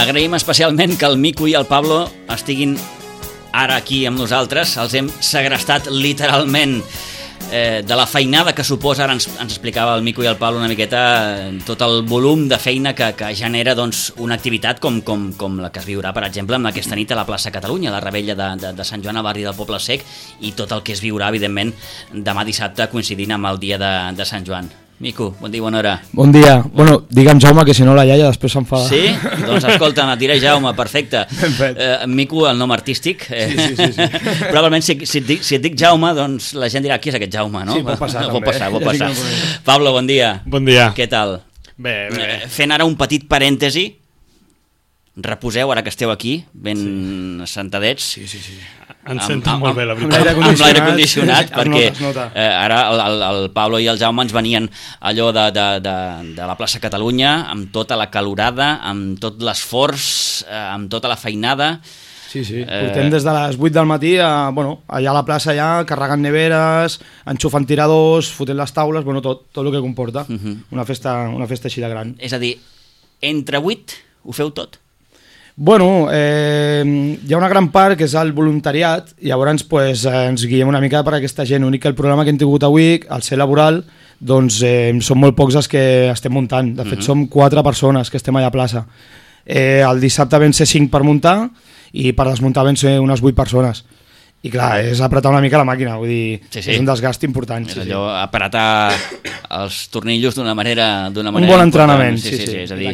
Agraïm especialment que el Mico i el Pablo estiguin ara aquí amb nosaltres. Els hem segrestat literalment de la feinada que suposa. Ara ens explicava el Mico i el Pablo una miqueta tot el volum de feina que genera una activitat com la que es viurà, per exemple, amb aquesta nit a la plaça Catalunya, la revetlla de Sant Joan al barri del Poble Sec, i tot el que es viurà, evidentment, demà dissabte coincidint amb el dia de Sant Joan. Mico, bon dia, bona hora. Bon dia. Bueno, digue'm Jaume, que si no la iaia després s'enfada. Sí? Doncs escolta, et diré Jaume, perfecte. Mico, el nom artístic. Sí. Probablement si et dic Jaume, doncs la gent dirà qui és aquest Jaume, no? Sí, pot passar també. Pot passar. Pablo, bon dia. Bon dia. Què tal? Bé. Fent ara un petit parèntesi, reposeu ara que esteu aquí, ben assentadets. Sí. Ens sento molt bé, la veritat. Amb l'aire condicionat, perquè es nota. ara el Pablo i el Jaume ens venien allò de la plaça Catalunya, amb tota la calorada, amb tot l'esforç, amb tota la feinada. Sí. Portem des de les 8 del matí allà a la plaça carregant neveres, enxufant tiradors, fotent les taules, tot el que comporta. Una festa així de gran. És a dir, entre 8 ho feu tot? Bueno, hi ha una gran part que és el voluntariat, i llavors ens guiem una mica per aquesta gent. L'únic que el programa que hem tingut avui, al ser laboral, doncs som molt pocs els que estem muntant. De fet, som 4 persones que estem allà a plaça. El dissabte vam ser 5 per muntar, i per desmuntar vam ser unes 8 persones. I clar, és apretar una mica la màquina, vull dir, sí. És un desgast important. És allò, apretar els tornillos d'una manera un bon entrenament, sí. És a dir,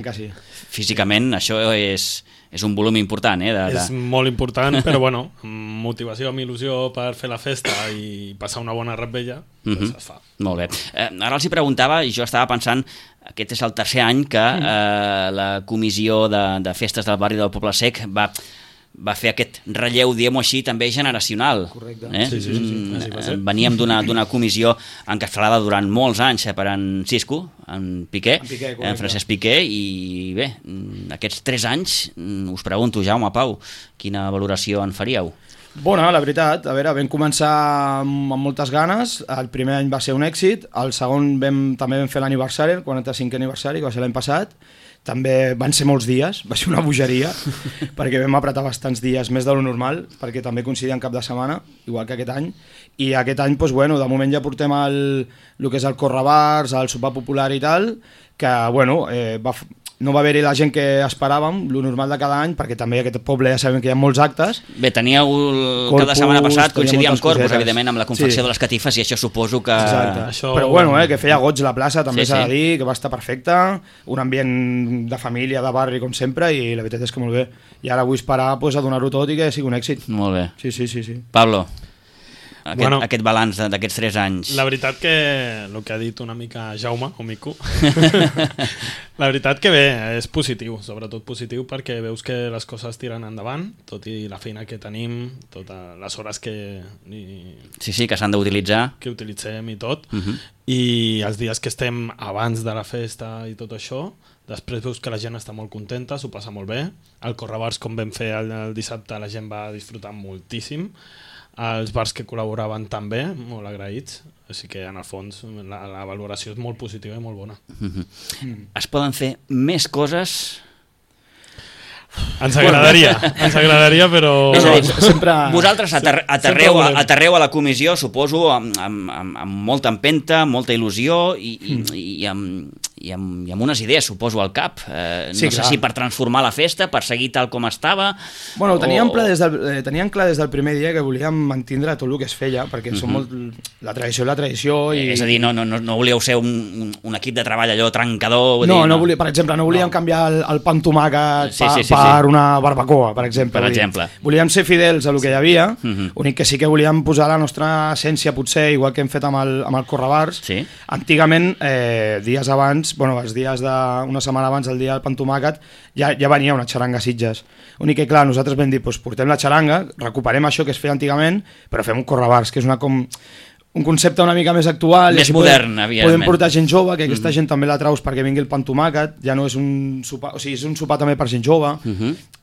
físicament això és un volum important. És molt important, però motivació amb il·lusió per fer la festa i passar una bona revetlla, doncs es fa. Molt bé. Ara els hi preguntava, i jo estava pensant, aquest és el tercer any que la comissió de festes del barri del Poble Sec va fer aquest relleu, diguem-ho així, també generacional. Correcte. Sí. Veníem d'una comissió encapçalada durant molts anys per en Cisco, en Piqué, en Francesc Piqué, i bé, aquests 3 anys, us pregunto, Jaume, Pau, quina valoració en faríeu? Bona, la veritat, vam començar amb moltes ganes. El primer any va ser un èxit, el segon també vam fer l'aniversari, el 45è aniversari, que va ser l'any passat. També van ser molts dies, va ser una bogeria, perquè vam apretar bastants dies, més de lo normal, perquè també coincidia en cap de setmana, igual que aquest any. I aquest any, de moment ja portem el que és el correbars, el sopar popular i tal, que no va haver-hi la gent que esperàvem, lo normal de cada any, perquè també aquest poble ja sabem que hi ha molts actes. Bé, teníeu cada setmana passat, coincidia amb Corpus, evidentment, amb la confecció de les catifes, i això suposo que... Exacte. Però que feia goig la plaça, també s'ha de dir, que va estar perfecte, un ambient de família, de barri, com sempre, i la veritat és que molt bé. I ara vull esperar a donar-ho tot i que sigui un èxit. Molt bé. Sí. Pablo, aquest balanç d'aquests 3 anys. La veritat que, el que ha dit una mica Jaume o Mico, la veritat que bé, és positiu, sobretot positiu, perquè veus que les coses tiren endavant, tot i la feina que tenim, totes les hores que... Sí, que s'han d'utilitzar. Que utilitzem i tot, i els dies que estem abans de la festa i tot això, després veus que la gent està molt contenta, s'ho passa molt bé. El correbars, com vam fer el dissabte, la gent va disfrutar moltíssim. Els bars que col·laboraven també, molt agraïts, així que en el fons la valoració és molt positiva i molt bona. Es poden fer més coses? Ens agradaria, però... Vosaltres aterreu a la comissió, suposo, amb molta empenta, molta il·lusió i amb unes idees, suposo, al cap. No sé si per transformar la festa, per seguir tal com estava... Teníem clar des del primer dia que volíem mantindre tot el que es feia, perquè som molt... La tradició és la tradició i... És a dir, no volíeu ser un equip de treball allò trencador... Per exemple, no volíem canviar el pa amb tomàquet per una barbacoa, per exemple. Volíem ser fidels a el que hi havia, únic que sí que volíem posar la nostra essència, potser, igual que hem fet amb el correbars. Antigament, dies abans, els dies d'una setmana abans del dia del pa amb tomàquet, ja venia una xaranga a Sitges. Únic que, clar, nosaltres vam dir, portem la xaranga, recuperem això que es feia antigament, però fem un correbars, que és un concepte una mica més actual, més modern, evidentment. Podem portar gent jove, que aquesta gent també la traus perquè vingui el pa amb tomàquet, ja no és un sopar, o sigui, és un sopar també per gent jove,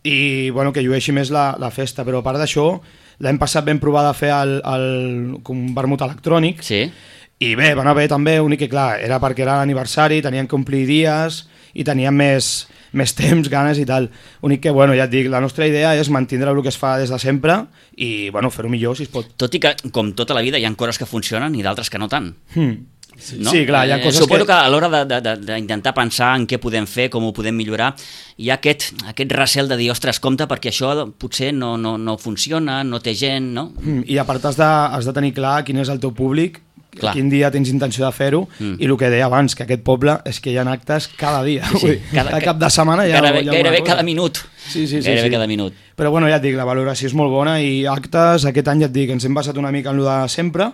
i que llueixi més la festa. Però a part d'això, l'any passat vam provar de fer un vermut electrònic, i bé, va anar bé també, únic que clar, era perquè era l'aniversari, tenien que omplir dies, i teníem més temps, ganes i tal. Únic que, bueno, ja et dic, la nostra idea és mantindre el que es fa des de sempre i, bueno, fer-ho millor si es pot. Tot i que, com tota la vida, hi ha coses que funcionen i d'altres que no tant. No? Sí, clar, hi ha coses suposo que a l'hora d'intentar pensar en què podem fer, com ho podem millorar, hi ha aquest recel de dir, ostres, compte, perquè això potser no funciona, no té gent, no? I a part has de tenir clar quin és el teu públic, Clar. quin dia tens intenció de fer-ho, i el que deia abans, que aquest poble és que hi ha actes cada dia. Sí. Cada cap de setmana hi ha gairebé cada minut. Gairebé cada minut. Però bueno, ja et dic, la valoració és molt bona i actes, aquest any ja et dic, ens hem basat una mica en el de sempre,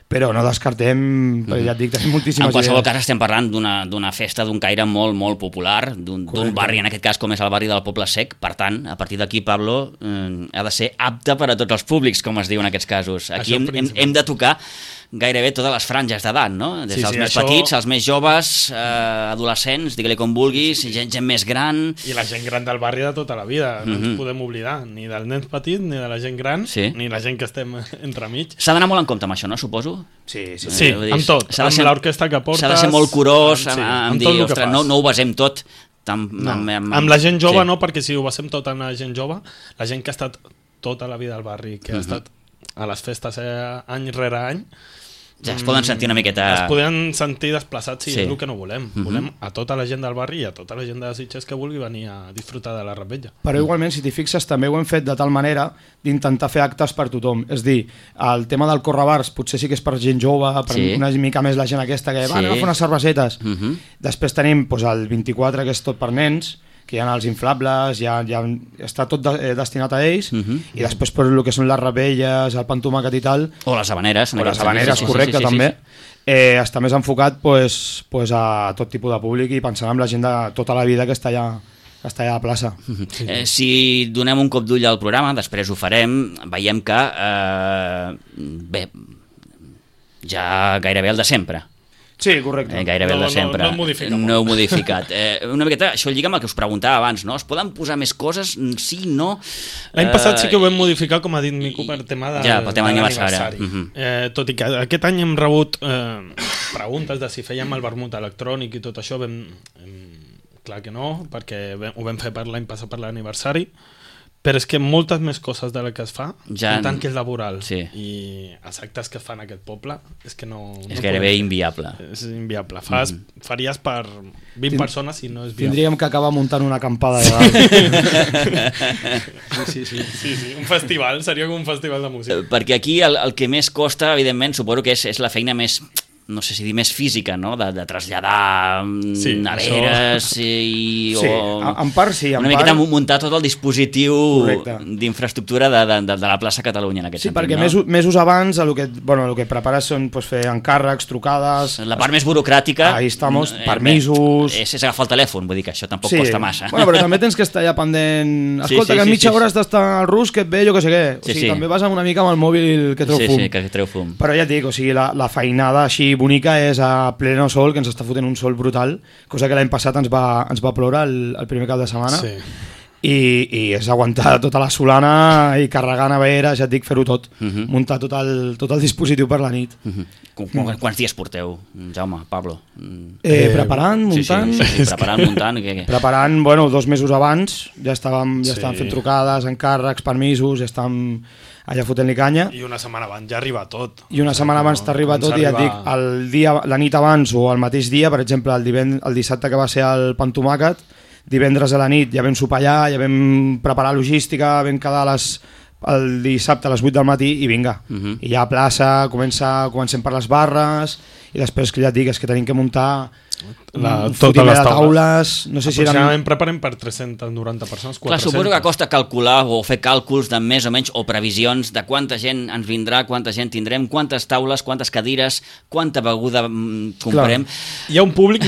però no descartem, perquè ja et dic, tenim moltíssimes En qualsevol idees. cas estem parlant d'una festa d'un caire molt, molt popular, d'un barri, en aquest cas, com és el barri del Poble Sec. Per tant, a partir d'aquí, Pablo, ha de ser apte per a tots els públics, com es diu en aquests casos. Aquí hem de tocar gairebé totes les franges d'edat, no? Des dels més petits, als més joves, adolescents, digue-li com vulguis, gent més gran... I la gent gran del barri de tota la vida, no ens podem oblidar, ni del nen petit, ni de la gent gran, ni la gent que estem entremig. S'ha d'anar molt en compte amb això, no? Suposo? Sí, amb tot, amb l'orquestra que portes... S'ha de ser molt curós, amb dir, ostres, no ho basem tot... Amb la gent jove no, perquè si ho basem tot amb la gent jove, la gent que ha estat tota la vida al barri, que ha estat a les festes any rere any, ja es poden sentir una miqueta... Es poden sentir desplaçats, és el que no volem. Volem a tota la gent del barri i a tota la gent de Sitges que vulgui venir a disfrutar de la Revetlla. Però igualment, si t'hi fixes, també ho hem fet de tal manera d'intentar fer actes per tothom. És dir, el tema del correbars potser sí que és per gent jove, per una mica més la gent aquesta que va, anem a fer unes cervesetes. Després tenim el 24, que és tot per nens, que hi ha els inflables, ja està tot destinat a ells, i després per el que són les rebelles, el pa amb tomàquet i tal... O les habaneres. O les habaneres, correcte, també. Està més enfocat a tot tipus de públic i pensant en la gent de tota la vida que està allà a la plaça. Si donem un cop d'ull al programa, després ho farem, veiem que bé, ja gairebé el de sempre. Sí, correcte. Gairebé el de sempre. No heu modificat. Una miqueta, això lliga amb el que us preguntava abans, no? Es poden posar més coses? Sí, no? L'any passat sí que ho vam modificar, com ha dit Mico, per tema de l'aniversari. Tot i que aquest any hem rebut preguntes de si fèiem el vermut electrònic i tot això, clar que no, perquè ho vam fer l'any passat per l'aniversari, però és que moltes més coses de la que es fa, en tant que és laboral, i els actes que es fan a aquest poble, és que no... És gairebé inviable. És inviable. Faries per 20 persones i no és viable. Tindríem que acabar muntant una acampada de dalt. Sí, un festival, seria com un festival de música. Perquè aquí el que més costa, evidentment, suposo que és la feina més... no sé si dir més física, no? De traslladar neveres i... en part sí. Una miqueta muntar tot el dispositiu d'infraestructura de la plaça Catalunya, en aquest sentit. Sí, perquè mesos abans el que prepares són fer encàrrecs, trucades... La part més burocràtica... Ahí estamos, permisos... És agafar el telèfon, vull dir que això tampoc costa massa. Bueno, però també tens que estar allà pendent... Escolta, que en mitja hora has d'estar al rus, que et ve, jo que sé què. O sigui, també vas una mica amb el mòbil que treu fum. Sí, que treu fum. Però ja et dic, o sigui, la feinada així bonica és a pleno sol, que ens està fotent un sol brutal, cosa que l'any passat ens va ploure el primer cap de setmana, i és aguantar tota la solana i carregar neveres, ja et dic, fer-ho tot, muntar tot el dispositiu per la nit. Quants dies porteu, Jaume, Pablo? Preparant, muntant... Preparant, muntant... Preparant, bueno, 2 mesos abans, ja estàvem fent trucades, encàrrecs, permisos, ja estàvem allà fotent-li canya. I una setmana abans ja arriba tot. I una setmana abans t'arriba tot, i ja et dic, la nit abans o el mateix dia, per exemple, el dissabte que va ser el pa amb tomàquet, divendres a la nit ja vam sopar allà, ja vam preparar logística, vam quedar el dissabte a les 8 del matí i vinga. I ja a plaça, comencem per les barres, i després que ja et dic, és que tenim que muntar totes les taules. No sé si aproximadament preparem per 390 persones, 400. Clar, suposo que costa calcular o fer càlculs de més o menys, o previsions de quanta gent ens vindrà, quanta gent tindrem, quantes taules, quantes cadires, quanta beguda comprem. Hi ha un públic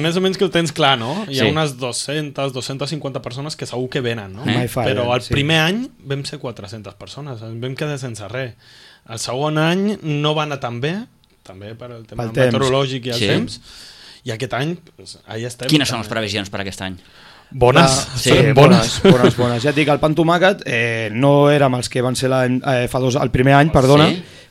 més o menys que ho tens clar, no? Hi ha unes 200-250 persones que segur que venen, no? Però el primer any vam ser 400 persones, ens vam quedar sense res. El segon any no va anar tan bé, també per el tema meteorològic i el temps, i aquest any allà estem. Quines són les previsions per aquest any? Bones. Bones. Ja et dic, el pa amb tomàquet no érem els que van ser el primer any, perdona,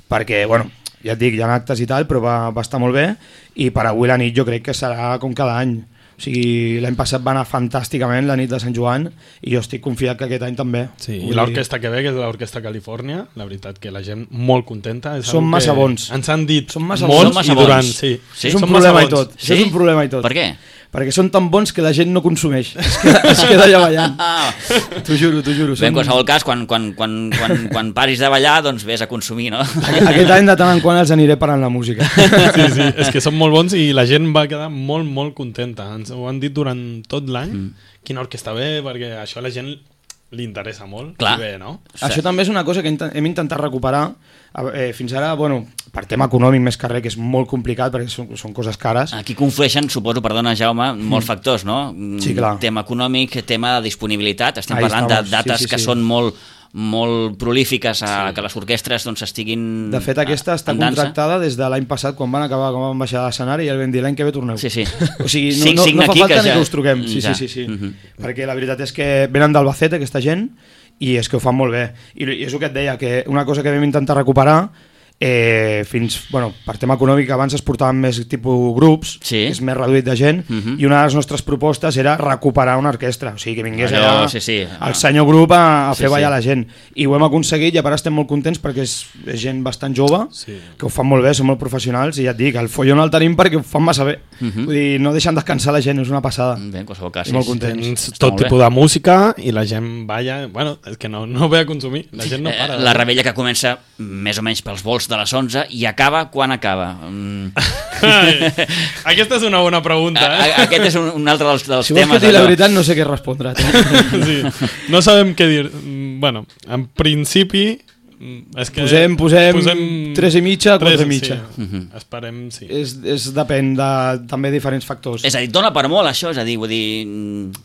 perquè, bueno, ja et dic, hi ha actes i tal, però va estar molt bé, i per avui la nit jo crec que serà com cada any. O sigui, l'any passat va anar fantàsticament la nit de Sant Joan i jo estic confiat que aquest any també. Sí, i l'orquestra que ve, que és l'Orquestra Califòrnia, la veritat que la gent molt contenta. Són massa bons. Ens han dit massa molts i durant... Sí. És un problema i tot. Sí? És un problema i tot. Per què? Perquè són tan bons que la gent no consumeix. Es queda allà ballant. T'ho juro. Bé, en qualsevol cas, quan paris de ballar, doncs vés a consumir, no? Aquest any de tant en quant els aniré parant la música. Sí, és que són molt bons i la gent va quedar molt, molt contenta. Ens ho han dit durant tot l'any, quina orquestra ve, perquè això a la gent li interessa molt. Clar. Bé, no? Això també és una cosa que hem intentat recuperar. Fins ara, bueno, per tema econòmic més que res, que és molt complicat perquè són coses cares. Aquí conflueixen, suposo, perdona Jaume, molts factors, no? Sí, clar. Tema econòmic, tema de disponibilitat, estem parlant de dates que són molt prolífiques que les orquestres doncs estiguin... De fet, aquesta està contractada des de l'any passat, quan van baixar a l'escenari i el vam dir l'any que ve torneu. Sí. O sigui, no fa falta ni que us truquem. Sí. Perquè la veritat és que venen d'Albacete, aquesta gent, i és que ho fan molt bé. I és el que et deia, que una cosa que vam intentar recuperar per tema econòmic abans es portaven més tipus grups, és més reduït de gent, i una de les nostres propostes era recuperar una orquestra, o sigui que vingués allà el senyor grup a fer ballar la gent, i ho hem aconseguit i a part estem molt contents perquè és gent bastant jove, que ho fan molt bé, són molt professionals, i ja et dic, el follon el tenim perquè ho fan massa bé, vull dir, no deixen descansar la gent, és una passada. Bé, en qualsevol cas, molt contents. Tot tipus de música i la gent balla, bueno, és que no ve a consumir, la gent no para. La revetlla que comença més o menys pels volts de les 11 i acaba quan acaba. Aquesta és una bona pregunta. Aquest és un altre dels temes. Si vols que digui la veritat no sé què respondre. Sí. No sabem què dir. Bueno, en principi és que posem 3,5, 4,5. Esperem, sí. Depèn de també diferents factors. És a dir, dona per molt això, és a dir, vull dir...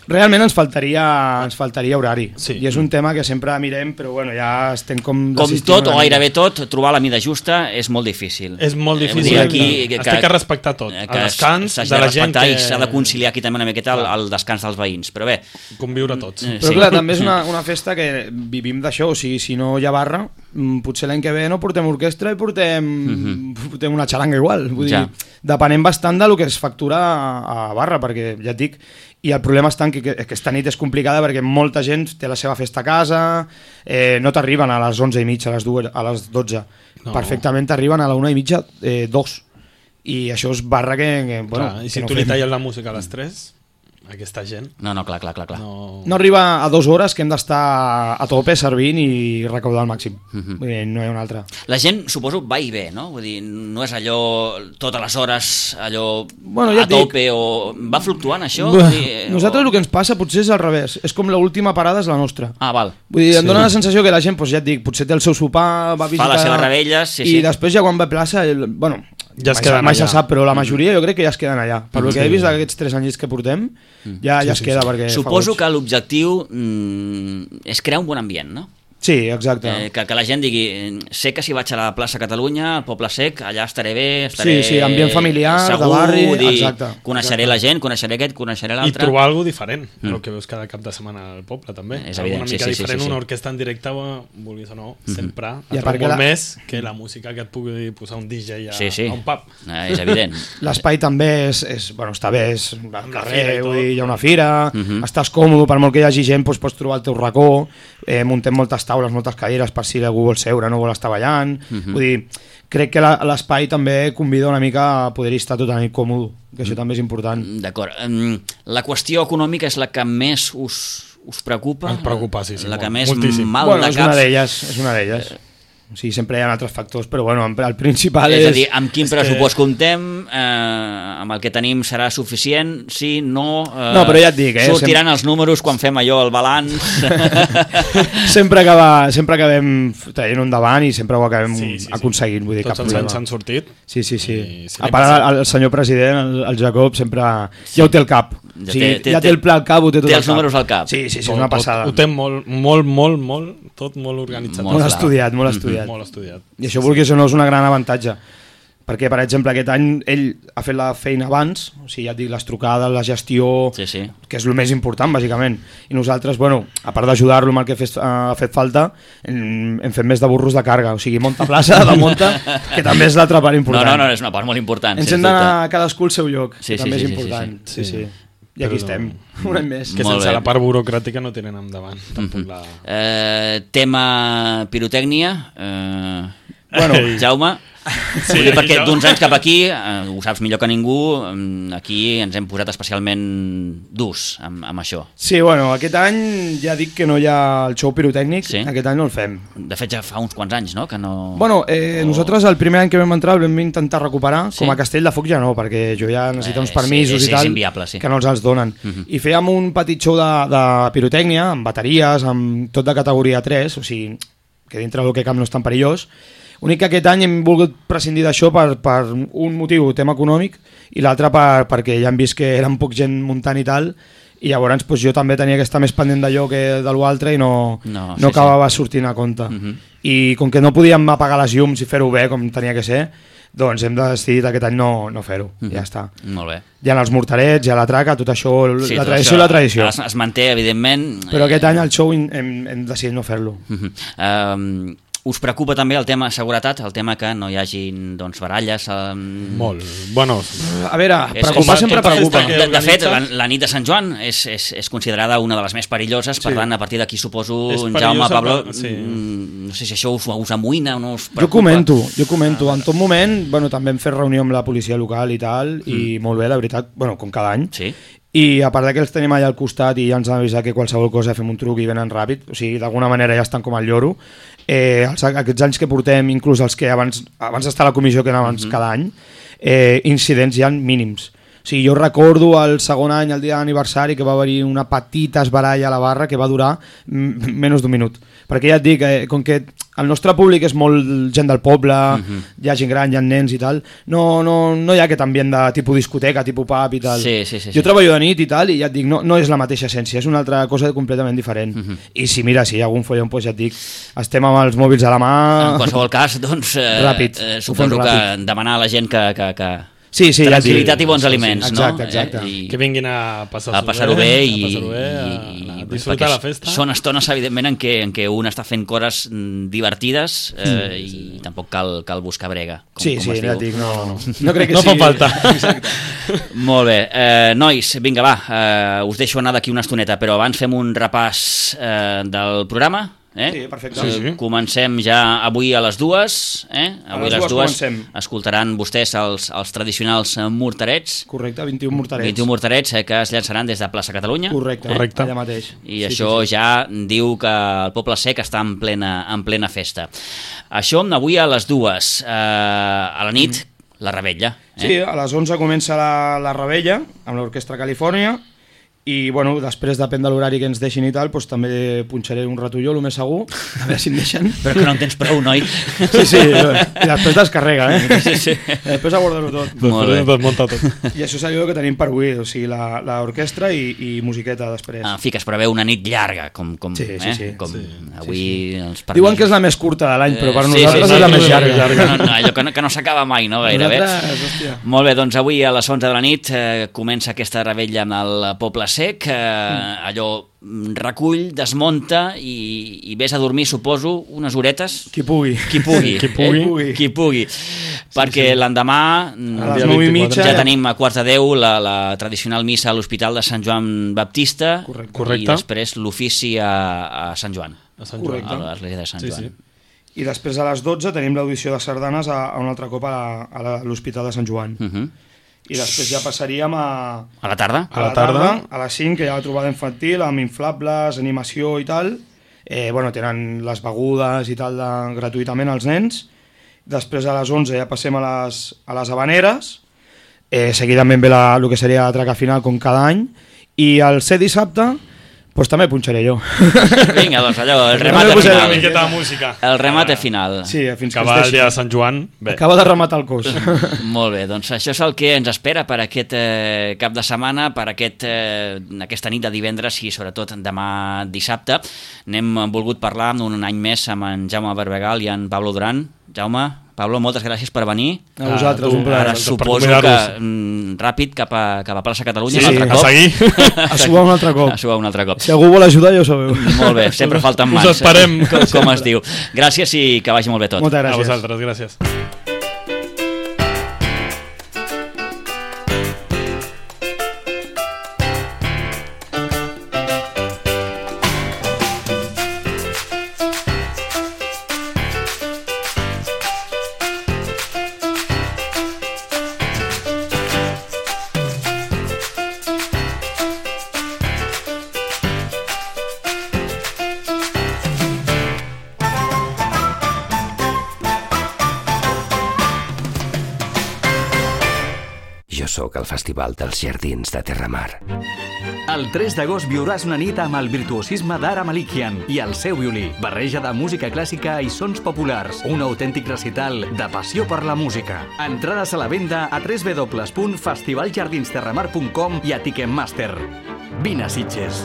Realment ens faltaria horari. I és un tema que sempre mirem, però bueno, ja estem com tot o gairebé tot, trobar la mida justa és molt difícil. És molt difícil. Es té que respectar tot. El descans de la gent que... S'ha de conciliar aquí també una miqueta el descans dels veïns, però bé... Conviure tots. Però clar, també és una festa que vivim d'això, o sigui, si no hi ha barra, potser l'any que ve no portem orquestra i portem una xaranga igual, vull dir, depenent bastant del que es factura a barra, perquè ja et dic, i el problema està que aquesta nit és complicada perquè molta gent té la seva festa a casa, no t'arriben a les 11:30, a les 12, perfectament t'arriben a la 1:30, 2, i això és barra que bueno, i si tu li talles la música a les 3, aquesta gent... No, clar. No arriba a 2 hores que hem d'estar a tope servint i recaudar al màxim. Vull dir, no hi ha una altra. La gent, suposo, va i ve, no? Vull dir, no és allò totes les hores, allò a tope, o va fluctuant això? Nosaltres el que ens passa potser és al revés. És com l'última parada és la nostra. Ah, val. Vull dir, em dóna la sensació que la gent, ja et dic, potser té el seu sopar, va visitar... Fa les seves revetlles, i després ja quan va a plaça, bueno... Ja es queden allà. Se sap, però la majoria jo crec que ja es queden allà. Per que he vist d'aquests 3 anys que portem, ja es queda perquè... Suposo que l'objectiu és crear un bon ambient, no? Sí, exacte. Que la gent digui, sé que si vaig a la plaça Catalunya, al Poble Sec, allà estaré bé, Sí, ambient familiar, segur, de barri, exacte. Coneixeré la gent, coneixeré aquest, coneixeré l'altre. I trobar alguna diferent, el que veus cada cap de setmana al poble, també. És evident, una mica diferent, una orquestra en directe, vulguis o no, sempre atrau molt més que la música que et pugui posar un DJ a un pub. És evident. L'espai també està bé, és al carrer, hi ha una fira, estàs còmode, per molt que hi hagi gent, pots trobar el teu racó, muntem moltes taules, moltes cadires per si algú vol seure, no vol estar ballant. Vull dir, crec que l'espai també convida una mica a poder-hi estar totalment còmode, que això també és important. D'acord. La qüestió econòmica és la que més us preocupa? Ens preocupa, sí. La que més moltíssim. mal de caps? És una d'elles. O sigui, sempre hi ha altres factors, però bueno, el principal és a dir, amb quin pressupost comptem, amb el que tenim serà suficient, sí, no... No, però ja et dic, sortiran els números quan fem allò, el balanç... sempre acabem traient un davant i sempre ho acabem aconseguint, vull dir, cap problema. Tots ens han sortit. Sí. A part, el senyor president, el Jacob, sempre ja ho té al cap. Ja té el pla al cap, ho té tot al cap. Té els números al cap. Sí, és una passada. Ho té molt, tot molt organitzat. Molt estudiat. Molt estudiat. I això, vulguis o no, és un gran avantatge. Perquè, per exemple, aquest any ell ha fet la feina abans, o sigui, ja et dic, les trucades, la gestió, que és el més important, bàsicament. I nosaltres, bueno, a part d'ajudar-lo amb el que ha fet falta, hem fet més de burros de càrrega, o sigui, monta plaça, de monta, que també és l'altra part important. No, és una part molt important. Ens hem d'anar cadascú al seu lloc, que també és important. Sí. I aquí estem, un any més. Que sense la part burocràtica no tenen endavant. Tema pirotècnia, Bueno, Jaume, sí, perquè d'uns anys cap aquí, ho saps millor que ningú, aquí ens hem posat especialment durs amb això. Sí, bueno, aquest any ja dic que no hi ha el show pirotècnic, aquest any no el fem. De fet ja fa uns quants anys, no? Que no... Bueno, nosaltres el primer any que vam entrar el vam intentar recuperar, com a Castell de Foc ja no, perquè jo ja necessito uns permisos i tal, inviable, que no els donen. I fèiem un petit show de pirotècnia, amb bateries, amb tot de categoria 3, o sigui, que dintre del que cap no és tan perillós. Únic que aquest any hem volgut prescindir d'això per un motiu, tema econòmic, i l'altre perquè ja hem vist que eren poc gent muntant i tal, i llavors jo també tenia que estar més pendent d'allò que de l'altre i no acabava sortint a compte. I com que no podíem apagar les llums i fer-ho bé com tenia que ser, doncs hem decidit aquest any no fer-ho, ja està. Molt bé. Hi ha els morterets, hi ha la traca, tot això, la tradició i la tradició. Es manté, evidentment. Però aquest any el show hem decidit no fer-lo. Us preocupa també el tema seguretat, el tema que no hi hagin baralles? Molt. Bueno, a veure, preocupar sempre preocupa. De fet, la nit de Sant Joan és considerada una de les més perilloses, per tant, a partir d'aquí suposo, Jaume, Pablo, no sé si això us amoïna o no us preocupa. Jo comento. En tot moment, també hem fet reunió amb la policia local i tal, i molt bé, la veritat, com cada any. Sí. I a part que els tenim allà al costat i ja ens han avisat que qualsevol cosa fem un truc i venen ràpid, o sigui, d'alguna manera ja estan com al lloro. Aquests anys que portem, inclús els que abans d'estar a la comissió que anaven cada any, incidents ja mínims. O sigui, jo recordo el segon any, el dia d'aniversari, que va haver-hi una petita esbaralla a la barra que va durar menys d'un minut. Perquè ja et dic, com que el nostre públic és molt gent del poble, hi ha gent gran, hi ha nens i tal, no hi ha aquest ambient de tipus discoteca, tipus pub i tal. Jo treballo de nit i tal, i ja et dic, no és la mateixa essència, és una altra cosa completament diferent. I si mira, si hi ha algun follon, doncs ja et dic, estem amb els mòbils a la mà... En qualsevol cas, doncs, suposo que demanar a la gent que Sí, tranquil·litat i bons aliments, exacte. Que vinguin a passar-ho bé i disfrutar la festa. Són estones, evidentment, en què un està fent coses divertides i tampoc cal buscar brega. Sí, ja dic, no crec que no sigui... fa falta. Molt bé. Nois, vinga, va, us deixo anar d'aquí una estoneta, però abans fem un repàs del programa. Sí, perfecte. Comencem ja avui a les 2. Avui a les 2 comencem. Escoltaran vostès els tradicionals morterets. Correcte, 21 morterets. 21 morterets que es llançaran des de Plaça Catalunya. Correcte. Allà mateix. I això ja diu que el Poble Sec està en plena festa. Això avui a les 2. A la nit, la revetlla. Sí, a les 11 comença la revetlla amb l'Orquestra Califòrnia. I després depèn de l'horari que ens deixin i tal, doncs també punxaré un ratolló, el més segur, a veure si em deixen. Però que no en tens prou, noi. Sí, i després descarrega, Sí. Després aborda-ho tot. Molt bé. Desmunta tot. I això és allò que tenim per avui, o sigui, l'orquestra i musiqueta després. En fi, que es preveu una nit llarga, com sí. avui els permisos. Diuen que és la més curta de l'any, però per nosaltres és la més llarga. Allò que no s'acaba mai, no? Gairebé. Molt bé, doncs avui a les 11 de la nit comença aquesta revetlla amb el Poble Sec, allò recull, desmunta i vés a dormir, suposo, unes horetes. Qui pugui. Perquè l'endemà a les 9:30 ja tenim a 9:45 la tradicional missa a l'Hospital de Sant Joan Baptista. Correcte. I després l'ofici a Sant Joan. Correcte. A l'església de Sant Joan. I després a les 12 tenim l'audició de sardanes un altre cop a l'Hospital de Sant Joan. I després ja passaríem a la tarda. A les 5, que hi ha la trobada infantil amb inflables, animació i tal. Tenen les begudes i tal gratuïtament als nens. Després a les 11 ja passem a les habaneres. Seguidament ve el que seria la traca final com cada any. I el ser dissabte doncs també punxaré jo. Vinga, doncs allò, el remate final. Una miqueta de música. El remate final. Sí, fins que acaba el dia de Sant Joan. Bé. Acaba de rematar el cos. Molt bé, doncs això és el que ens espera per aquest cap de setmana, per aquesta nit de divendres i sobretot demà dissabte. N'hem volgut parlar un any més amb en Jaume Barbegal i en Pablo Duran. Jaume, Pablo, moltes gràcies per venir. A vosaltres, un plaer. Ara suposo que ràpid cap a Plaça Catalunya. Sí, a seguir. A suar un altre cop. A suar un altre cop. Si algú vol ajudar, ja ho sabeu. Molt bé, sempre falten mans. Us esperem. Com es diu. Gràcies i que vagi molt bé tot. Moltes gràcies. A vosaltres, gràcies. Jo sóc el Festival dels Jardins de Terramar. El 3 d'agost viuràs una nit amb el virtuosisme d'Ara Malikian i el seu violí. Barreja de música clàssica i sons populars. Un autèntic recital de passió per la música. Entrades a la venda a www.festivaljardinsterramar.com i a Ticketmaster. Vine a Sitges.